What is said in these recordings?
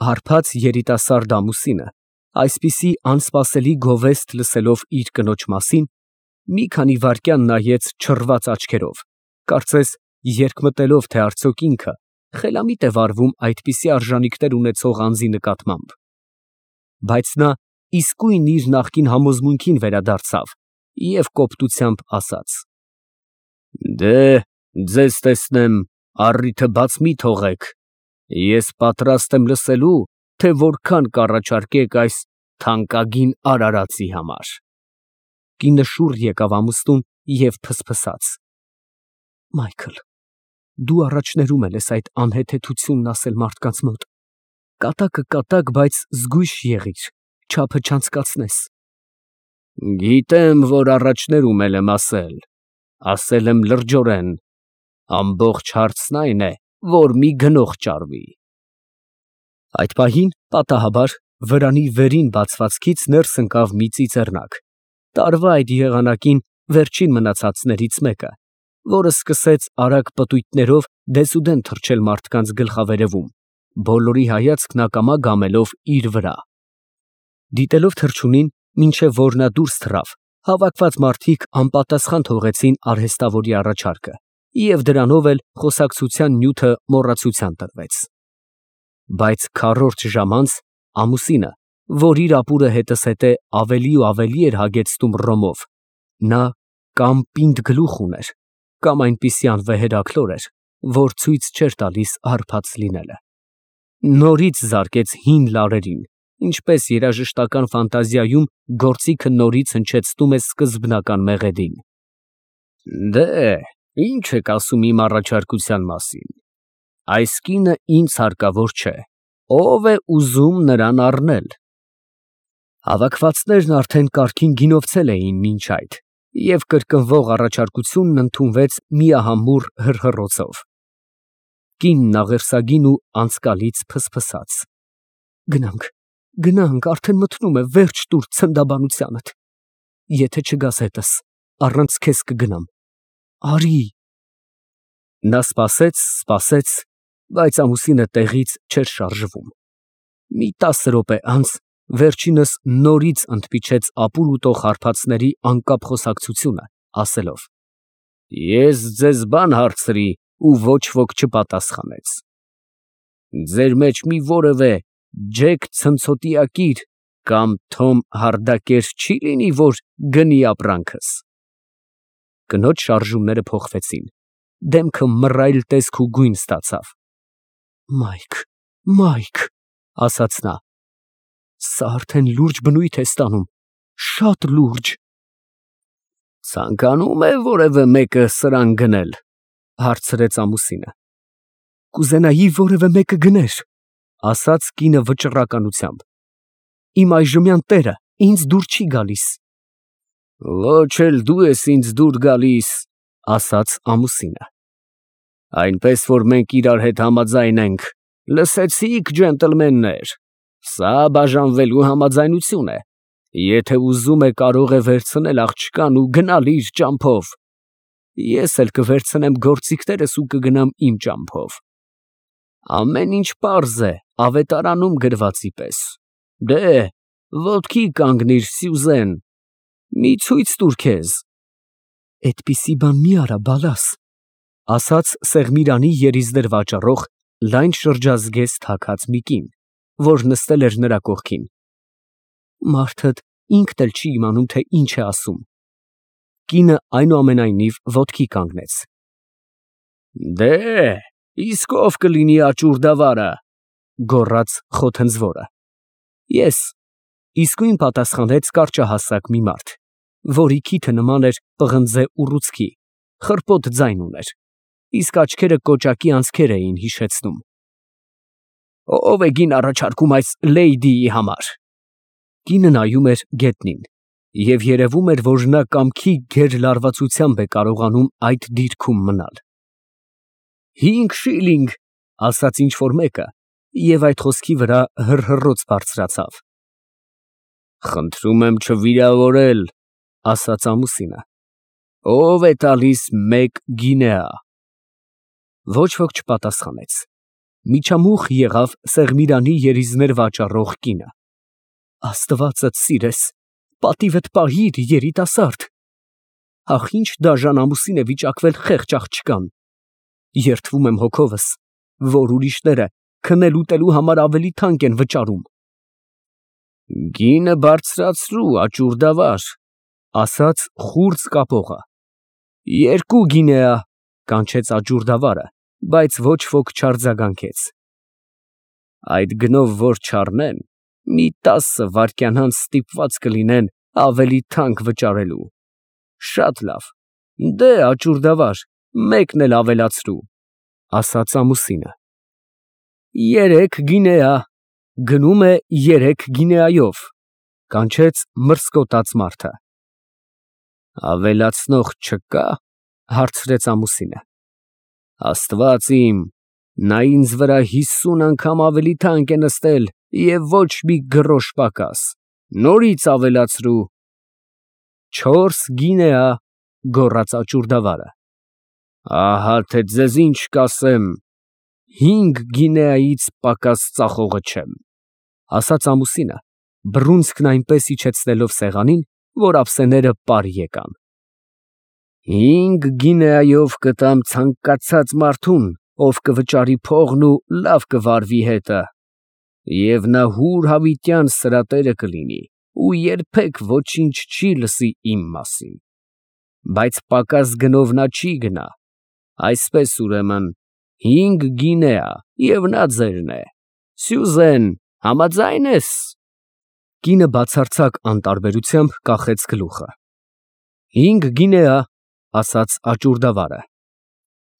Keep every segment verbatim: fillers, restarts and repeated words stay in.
Հարբած երիտասարդ ամուսինը, այսպիսի անսպասելի գովեստ լսելով իր կնոջ մասին, մի քանի վայրկյան նայեց չռված աչքերով, կարծես երկմտելով, թե արդյոք ինքը խելամիտ է վարվում այդպիսի արժանիքներ ունեցող անձի նկատմամբ, բայց նա իսկույն իր նախկին համոզմունքին վերադարձավ և կոպտությամբ ասաց. «Դե, ձեզ տեսնեմ, առիթը բաց մի թողեք, ես պատրաստ եմ լսելու, թե որքան կառաջարկեք այս թանկագին արարածի համար»։ Կինը շուռ եկավ ամուսնուն և փսփսաց. «Մայքլ, դու առաջներում էլ ես այդ անհեթեթությունն ասել մարդկանց մոտ, կատակը կատակ, բայց զգույշ եղիր, չափը չանցկացնես»։ Գիտեմ, որ առաջներում էլ եմ ասել, ասել եմ լրջորեն, ամբողջ հարցն այն է, որ մի գնող ճարվի։ Այդ պահին, պատահաբար, վրանի վերին բացվածքից ներս ընկավ մի ծիծեռնակ, տարվա այդ եղանակին վերջին մնացածներից մեկը, որը սկսեց արագ պտույտներով դեսուդեն թռչել մարդկանց գլխավերևում, բոլորի հայացքն ակամա գամելով իր վրա։ Դիտելով թռչունին, մինչև որ նա դուրս թռավ, հավաքված մարդիկ անպատասխան թողեցին արհեստավորի առաջարկը, և դրանով էլ խոսակցության նյութը մոռացության տրվեց։ Բայց քառորդ ժամ անց ամուսինը, որ իր ապուրը հետզհետե ավելի ու ավելի էր հագեցնում ռոմով, նա կամ պինդ գլուխ ուներ, կամ այնպիսի անվեհեր աքլոր էր, որ ցույց չէր տալիս հարբած լինելը, նորից զարկեց հին լարերին, ինչպես երաժշտական ֆանտազիայում գործիքը նորից հնչեցնում է սկզբնական մեղեդին։ Դե, ի՞նչ եք ասում իմ առաջարկության մասին։ Այս կինը ինձ հարկավոր չէ, ով է ուզում նրան առնել։ Հավաքվածներն արդեն կարգին գինովցել էին մինչ այդ, և կրկնվող առաջարկությունն ընդունվեց միահամուռ հռհռոցով։ Կինն աղերսագին ու անցկալից փսփսաց. Գնանք, գնանք, արդեն մթնում է, վերջ տուր ցնդաբանությանդ։ Եթե չգաս հետս, առանց քեզ կգնամ, արի։ Նա սպասեց, սպասեց, բայց ամուսինը տեղից չէր շարժվում։ Մի տասը րոպե անց վերջինս նորից ընդմիջեց ապուր ուտող հարբածների անկապ խոսակցությունը, ասելով. Ես ձեզ բան հարցրի ու ոչ ոք չպատասխանեց։ Ձեր մեջ մի որևէ Ջեք ցնցոտիակիր կամ Թոմ Հարդակեր չի լինի, որ գնի ապրանքս։ Կնոջ շարժումները փոխվեցին, դեմքը մռայլ տեսք ու գույն ստացավ։ Մայք, Մայք, ասաց նա, սա արդեն լուրջ բնույթ է ստանում, շատ լուրջ։ Ցանկանում է որևէ մեկը սրան գնել, հարցրեց ամուսինը։ Կուզենայի որևէ մեկը գներ, ասաց կինը վճռականությամբ։ Իմ այժմյան տերը ինձ դուր չի գալիս։ Ոչ էլ դու ես ինձ դուր գալիս, ասաց ամուսինը։ Այնպես որ մենք իրար հետ համաձայն ենք, լսեցիք, ջենտլմեններ, սա բաժանվելու համաձայնություն է, եթե ուզում է կարող է վերցնել աղջկան ու գնալ իր ճամփով, ես էլ կվերցնեմ գործիքներս ու կգնամ իմ ճամփով։ Ամեն ինչ պարզ է ավետարանում գրվածի պես։ Դե, ոտքի կանգնիր, Սյուզեն, մի ցույց տուր քեզ։ Էդպիսի բան մի արա, բալաս, ասաց սեղմիրանի երիզներ վաճառող լայն շրջազգեստ հագած մի կին, որ նստել էր նրա կողքին։ Մարդդ ինքն էլ չի իմանում, թե ինչ է ասում։ Կինը այնուամենայնիվ ոտքի կանգնեց։ Դե, իսկ ով կլինի աճուր դավարը, գոռաց խոթնձվորը։ Ես, իսկույն պատասխանեց կարճահասակ մի մարդ, որի քիթը նման էր պղնձե ուռուցքի, խռպոտ ձայն ուներ, իսկ աչքերը կոճակի անցքեր էին հիշեցնում։ Ո՞վ է գին առաջարկում այս լեյդիի համար։ Կինը նայում էր գետնին, և երևում էր, որ նա կամքի գերլարվածությամբ է կարողանում այդ դիրքում մնալ։ Հինգ շիլինգ, ասաց ինչ֊որ մեկը, և այդ խոսքի վրա հռհռոց բարձրացավ։ Խնդրում եմ չվիրավորել, ասաց ամուսինը։ Ո՞վ է տալիս մեկ գինեա։ Ոչ ոք չպատասխանեց։ Միջամուխ եղավ Սեղմիրանի երիզներ վաճառող կինը։ Աստվածդ սիրես, պատիվդ պահիր, երիտասարդ։ Ախ, ինչ դաժան ամուսին է վիճակվել խեղճ աղջկան։ Երդվում եմ հոգովս, որ ուրիշները քնել ուտելու համար ավելի թանկ են վճարում։ Գինը բարձրացրու, աճուր դավար, ասաց խուրձ կապողը։ Երկու գինեա, կանչեց աճուր դավարը, բայց ոչ ոք չարձագանքեց։ Այդ գնով որ չառնեն, մի տասը վայրկյան անց ստիպված կլինեն ավելի թանկ վճարելու։ Շատ լավ, դե աճուր դավար, մեկն էլ ավելացրու, ասաց ամուսինը։ Երեք գինեա, գնում է երեք գինեայով, կանչեց մրսկոտած մարդը։ Ավելացնող չկա, հարցրեց ամուսինը։ Աստված իմ, նա ինձ վրա հիսուն անգամ ավելի թանկ է նստել և ոչ մի գրոշ պակաս, նորից ավելացրու։ Չորս գինեա, գոռաց աճուր դավարը։ Ահա թե ձեզ ինչ կասեմ, հինգ գինեայից պակաս ծախողը չեմ, ասաց ամուսինը, բռունցքն այնպես իջեցնելով սեղանին, որ ափսեները պար եկան։ Հինգ գինեայով կտամ ցանկացած մարդուն, ով կվճարի փողն ու լավ կվարվի հետը, և նա հուր հավիտյան սրատերը կլինի ու երբեք ոչինչ չի լսի իմ մասին, բայց պակաս գնով նա չի գնա, այսպես ուրեմն հինգ գինեա և նա ձերն է, Սյուզեն, համաձա՞յն ես։ Կինը բացարձակ անտարբերությամբ կախեց գլուխը։ Հինգ գինեա, ասաց աճուր դավարը։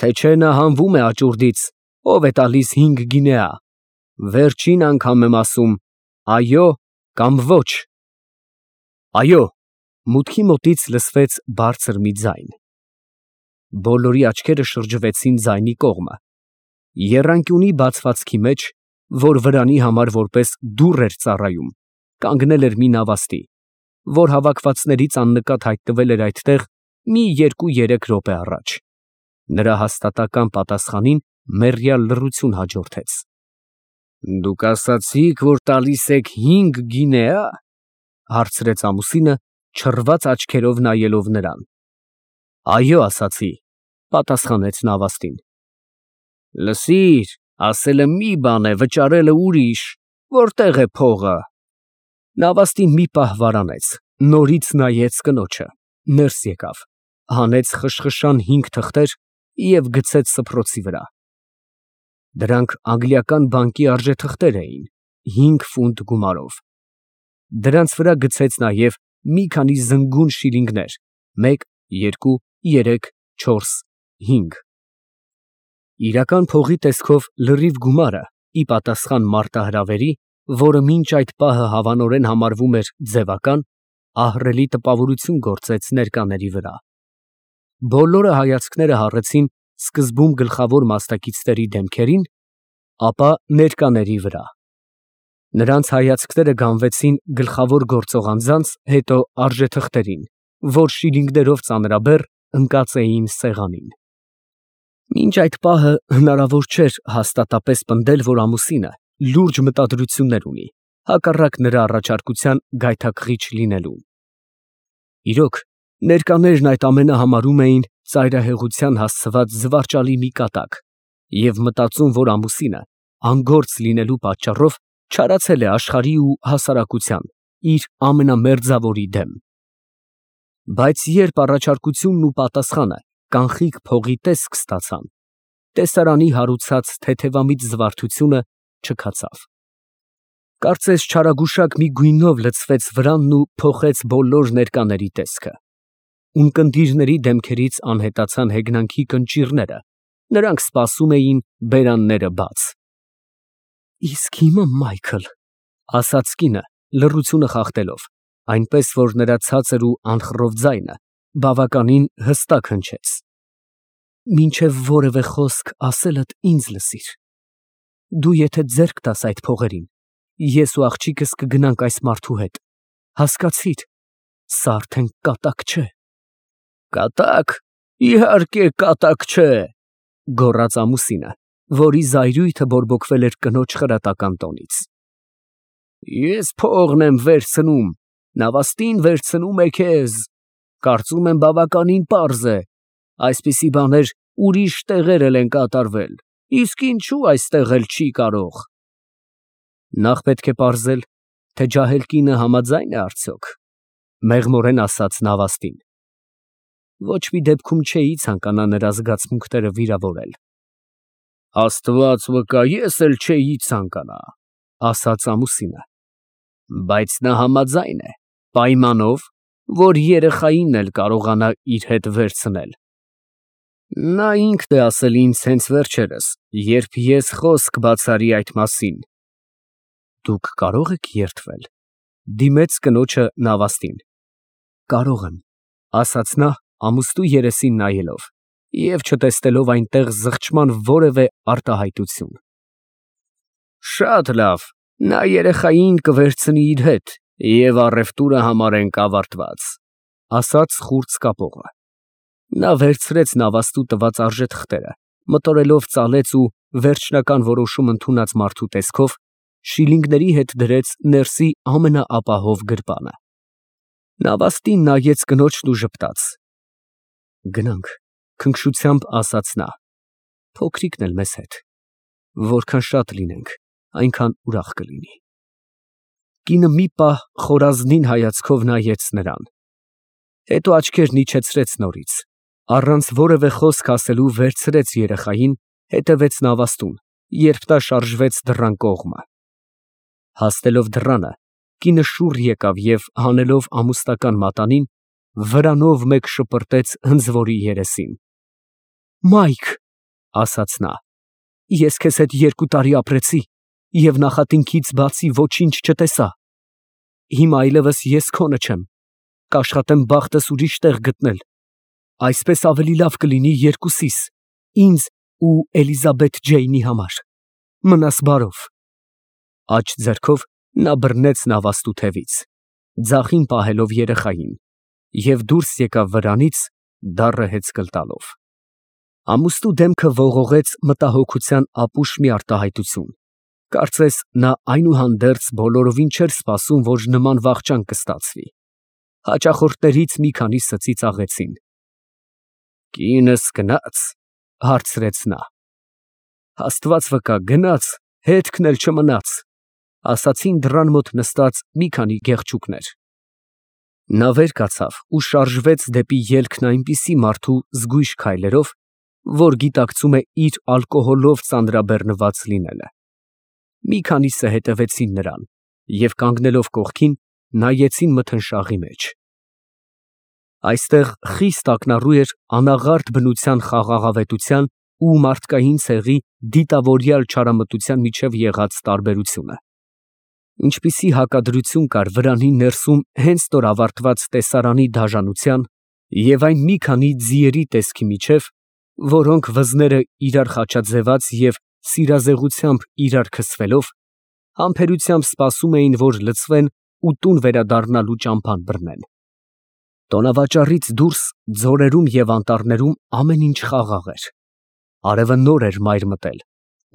Թե չէ նա հանվում է աճուրդից, ով է տալիս հինգ գինեա, վերջին անգամ եմ ասում, այո կամ ոչ։ Այո, մուտքի մոտից լսվեց բարձր մի ձայն։ Բոլորի աչքերը շրջվեցին ձայնի կողմը։ Եռանկյունի բացվածքի մեջ, որ վրանի համար որպես դուռ էր ծառայում, կանգնել էր մի նավաստի, որ հավաքվածներից աննկատ հայտնվել էր այդտեղ մի երկու֊երեք րոպե առաջ։ Նրա հաստատակամ պատասխանին մեռյալ լռություն հաջորդեց։ Դուք ասացիք, որ տալիս եք հինգ գինեա, հարցրեց ամուսինը, չռված աչքերով նայելով նրան։ Այո, ասացի, պատասխանեց նավաստին։ Լսիր, ասելը մի բան է, վճարելը ուրիշ, որտե՞ղ է փողը։ Նավաստին մի պահ վարանեց, նորից նայեց կնոջը, ներս եկավ, հանեց խշխշան հինգ թղթեր և գցեց սփռոցի վրա։ Դրանք անգլիական բանկի արժե թղթեր էին, հինգ ֆունտ գումարով։ Դրանց վրա գցեց նաև մի քանի զնգուն շիլինգներ, մեկ, երկու, երեք, չորս, հինգ։ Իրական փողի տեսքով լրիվ գումարը, ի պատասխան մարտահրավերի, որը մինչ այդ պահը հավանորեն համարվում էր ձևական, ահռելի տպավորություն գործեց ներկաների վրա։ Բոլորը հայացքները հառեցին սկզբում գլխավոր մասնակիցների դեմքերին, ապա ներկաների վրա։ Նրանց հայացքները գանվեցին գլխավոր գործող անձանց, հետո արժեթղթերին, որ շիլինգներով ծանրաբեռ ընկած էին սեղանին։ Մինչ այդ պահը հնարավոր չէր հաստատապես պնդել, որ ամուսինը լուրջ մտադրություններ ունի, հակառակ նրա առաջարկության գայթակղիչ լինելուն։ Իրոք, ներկաներն այդ ամենը համարում էին ծայրահեղության հասցված զվարճալի մի կատակ և մտածում, որ ամուսինը անգործ լինելու պատճառով չարացել է աշխարհի ու հասարակության իր ամենամերձավորի դեմ։ Բայց երբ առաջարկությունն ու պատասխանը կանխիկ փողի տեսք ստացան, տեսարանի հարուցած թեթևամիտ զվարթությունը չքացավ։ Կարծես չարագուշակ մի գույնով լցվեց վրանն ու փոխեց բոլոր ներկաների տեսքը։ Ունկնդիրների դեմքերից անհետացան հեգնանքի կնճիռները, նրանք սպասում էին բերանները բաց։ Իսկ հիմա, Մայքլ, ասաց կինը, լռությունը խախտելով, այնպես որ նրա ցածր ու անխռով ձայնը բավականին հստակ հնչեց։ Մինչև որևէ խոսք ասելդ ինձ լսիր։ Դու եթե ձեռք տաս այդ փողերին, ես ու աղջիկս կգնանք այս մարդու հետ, հասկացի՞ր, սա արդեն կատակ չէ։ Կատակ, իհարկե կատակ չէ, գոռաց ամուսինը, որի զայրույթը բորբոքվել էր կնոջ խրատական տոնից։ Ես փողն եմ վերցնում, նավաստին վերցնում է քեզ, կարծում եմ բավականին պարզ է, այսպիսի բաներ ուրիշ տեղեր էլ են կատարվել, իսկ ինչու այստեղ էլ չի կարող։ Նախ պետք է պարզել, թե ջահել կինը համաձայն է արդյոք, մեղմորեն ասաց նավաստին։ Ոչ մի դեպքում չէի ցանկանա նրա զգացմունքները վիրավորել։ Աստված վկա, ես էլ չէի ցանկանա, ասաց ամուսինը, բայց նա համաձայն է, պայմանով, որ երեխային էլ կարողանա իր հետ վերցնել։ Նա ինքն է ասել ինձ հենց վերջերս, երբ ես խոսք բացարի այդ մասին։ Դուք կարող եք երդվել, դիմեց կնոջը նավաստին։ Կարող եմ, ասաց նա ամուստու երեսին նայելով և չտեսնելով այնտեղ զղջման որևէ արտահայտություն։ Շատ լավ, նա երեխային կվերցնի իր հետ և առևտուրը համարենք ավարտված, ասաց խուրձ կապողը։ Նա վերցրեց նավաստու տված արժեթղթերը, մտորելով ծալեց ու վերջնական որոշում ընդունած մարդու տեսքով շիլինգների հետ դրեց ներսի ամենաապահով գրպանը։ Նավաստին նայեց կնոջն ու ժպտաց։ Գնանք, քնքշությամբ ասաց նա, փոքրիկն էլ մեզ հետ, որքան շատ լինենք, այնքան ուրախ կլինի։ Կինը մի պահ խորազնին հայացքով նայեց նրան, հետո աչքերն իջեցրեց նորից, առանց որևէ խոսք ասելու վերցրեց երեխային, հետևեց նավաստուն, երբ նա շարժվեց դռան կողմը։ Հասնելով դռանը, կինը շուռ եկավ և հանելով ամուսնական մատանին, վրանով մեկ շպրտեց հնձվորի երեսին։ Մայք, ասաց նա, ես քեզ հետ երկու տարի ապրեցի և նախատինքից բացի ոչինչ չտեսա։ Հիմա այլևս ես քոնը չեմ, կաշխատեմ բախտս ուրիշ տեղ գտնել, այսպես ավելի լավ կլինի երկուսիս, ինձ ու Էլիզաբեթ Ջեյնի համար, մնաս բարով։ Աջ ձեռքով նա բռնեց նավաստու թևից, ձախին պահելով երեխային, և դուրս եկավ վրանից, դառը հեծկլ տալով։ Ամուստու դեմքը ողողեց մտահոգության ապուշ մի արտահայտություն, կարծես նա այնուհանդերձ բոլորովին չէր սպասում, որ նման վախճան կստացվի։ Հաճախորդներից մի քանիսը ծիծաղեցին։ Կինս գնա՞ց, հարցրեց նա։ Աստված վկա, գնաց, հետքն էլ չմնաց, ասացին դռան մոտ նստած մի քանի գեղչուկներ։ Նա վեր կացավ ու շարժվեց դեպի ելքն այնպիսի մարդու զգույշ քայլերով, որ գիտակցում է իր ալկոհոլով ծանրաբեռնված լինելը։ Մի քանիսը հետևեցին նրան և կանգնելով կողքին, նայեցին մթնշաղի մեջ։ Այստեղ խիստ ակնառու էր անաղարտ բնության խաղաղավետության ու մարդկային ցեղի դիտավորյալ չարամտության միջև եղած տարբերությունը։ Ինչպիսի հակադրություն կար վրանի ներսում հենց նոր ավարտված տեսարանի դաժանության և այն մի քանի ձիերի տեսքի միջև, որոնք վզները իրար խաչաձևած և սիրազեղությամբ իրար քսվելով, համբերությամբ սպասում էին, որ լցվեն ու տուն վերադառնալու ճամփան բռնեն։ Տոնավաճառից դուրս ձորերում և անտառներում ամեն ինչ խաղաղ էր։ Արևը նոր էր մայր մտել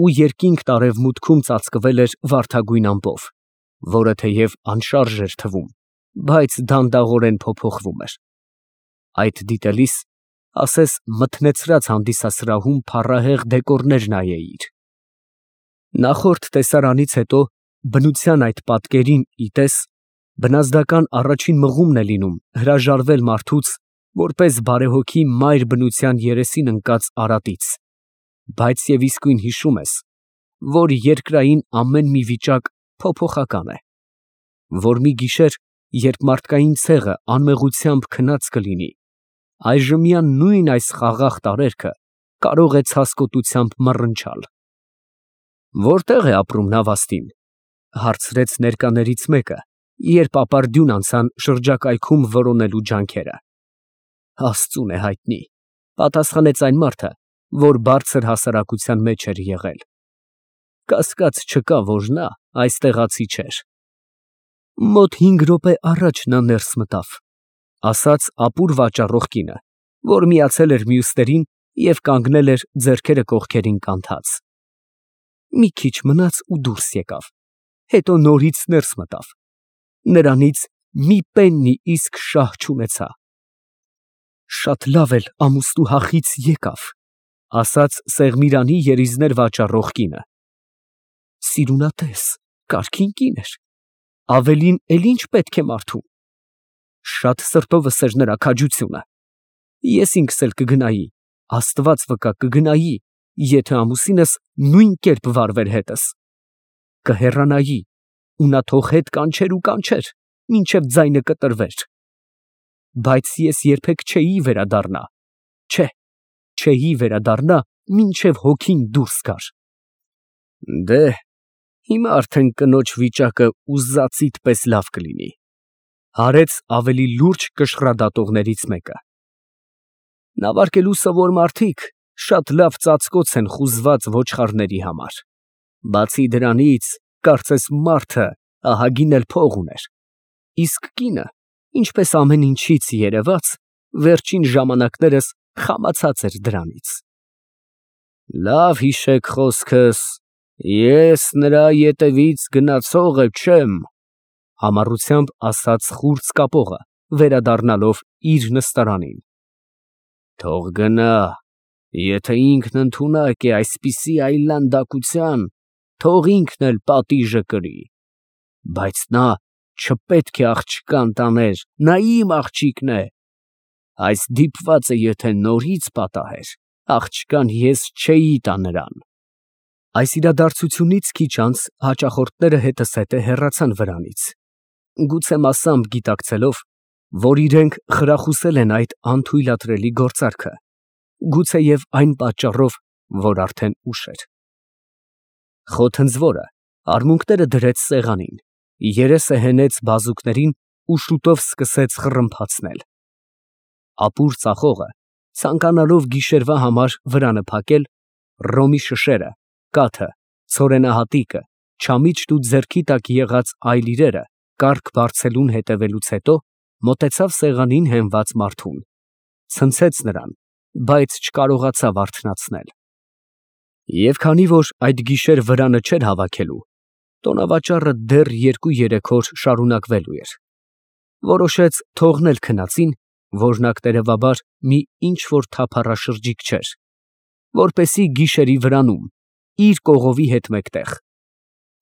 ու երկինքն արևմուտքում ծածկվել էր վարդագույն ամպով, որը թեև անշարժ էր թվում, բայց դանդաղորեն փոփոխվում էր։ Այդ դիտելիս, ասես մթնեցրած հանդիսասրահում փառահեղ դեկորներ նայեիր։ Նախորդ տեսարանից հետո բնության այդ պատկերին ի տես, բնազդական առաջին մղումն է լինում հրաժարվել մարդուց, որպես բարեհոգի մայր բնության երեսին ընկած արատից, բայց և իսկույն հիշում ես, որ երկրային ամեն մի վիճակ փոփոխական է, որ մի գիշեր, երբ մարդկային ցեղը անմեղությամբ քնած կլինի, այժմյան նույն այս խաղաղ տարերքը կարող է ցասկոտությամբ մռնչալ։ Որտե՞ղ է ապրում նավաստին, հարցրեց ներկաներից մեկը, երբ ապարդյուն անցան շրջակայքում որոնելու ջանքերը։ Աստծուն է հայտնի, պատասխանեց այն մարդը, որ բարձր հասարակության մեջ էր եղել։ Կասկած չկա, որ նա այս տեղացի չէր։ Մոտ հինգ րոպե առաջ նա ներս մտավ, ասաց ապուր վաճառող կինը, որ միացել էր մյուսներին և կանգնել էր ձեռքերը կողքերին կանթած։ մի քիչ մնաց ու դուրս եկավ, հետո նորից ներս մտավ, նրանից մի պեննի իսկ շահ չունեցա։ Շատ լավ էլ ամուսնու հախից եկավ, ասաց Սեղմիրանի երիզներ վաճառող կինը։ Սիրունատես, կարգին կին էր, ավելին էլ ինչ պետք է մարդու։ Շատ սրտովս էր նրա քաջությունը։ Ես ինքս էլ կգնայի, Աստված վկա կգնայի, եթե ամուսինս նույն կերպ վարվեր հետս։ Կհեռանայի, ու նա թող հետ կանչեր ու կանչեր, մինչև ձայնը կտրվեր։ Բայց ես երբեք չէի վերադառնա, չէ, չէի վերադառնա, մինչև հոգին դուրս գար։ Դե, հիմա արդեն կնոջ վիճակը ուզածիդ պես լավ կլինի, հարեց ավելի լուրջ կշռադատողներից մեկը։ Նավարկելու սովոր մարդիկ շատ լավ ծածկոց են խուզված ոչխարների համար, բացի դրանից, կարծես մարդը ահագին էլ փող ուներ, իսկ կինը, ինչպես ամեն ինչից երևաց, վերջին ժամանակներս խամացած էր դրանից։ Լավ հիշեք խոսքս, ես նրա ետևից գնացողը չեմ, համառությամբ ասաց խուրձ կապողը, վերադառնալով իր նստարանին։ Թող գնա, եթե ինքն ընդունակ է այսպիսի այլանդակության, թող ինքն էլ պատիժը կրի, բայց նա չպետք է աղջկան տաներ, նա իմ աղջիկն է, այս դիպվածը եթե նորից պատահեր, աղջկան ես չէի տա նրան։ Այս իրադարձությունից քիչ անց հաճախորդները հետզհետե հեռացան վրանից, գուցե մասամբ գիտակցելով, որ իրենք խրախուսել են այդ անթույլատրելի գործարքը, գուցեև այն պատճառով, որ արդեն ուշ էր։ Խոթնձորը արմունկները դրեց սեղանին, երեսը հենեց բազուկներին ու շուտով սկսեց խռմփացնել։ Ապուր ծախողը, ցանկանալով գիշերվա համար վրանը փակել, ռոմի շշերը, կաթը, ցորենահատիկը, չամիչն ու ձեռքի տակ եղած այլ իրերը կառք բարձելուն հետևելուց հետո մոտեցավ սեղանին հենված մարդուն, ցնցեց նրան, բայց չկարողացավ արթնացնել։ Եվ քանի որ այդ գիշեր վրանը չէր հավաքելու, տոնավաճառը դեռ երկու֊երեք օր շարունակվելու էր, որոշեց թողնել քնածին, որն ակտերևաբար մի ինչ֊որ թափառաշրջիկ չէր, որպեսզի գիշերի վրանում իր կողովի հետ մեկտեղ,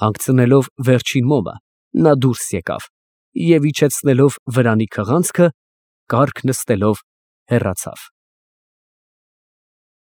հանգցնելով վերջին մոմը, նա դուրս եկավ և իջեցնելով վրանի քղանցքը, կառք նստելով հեռացավ։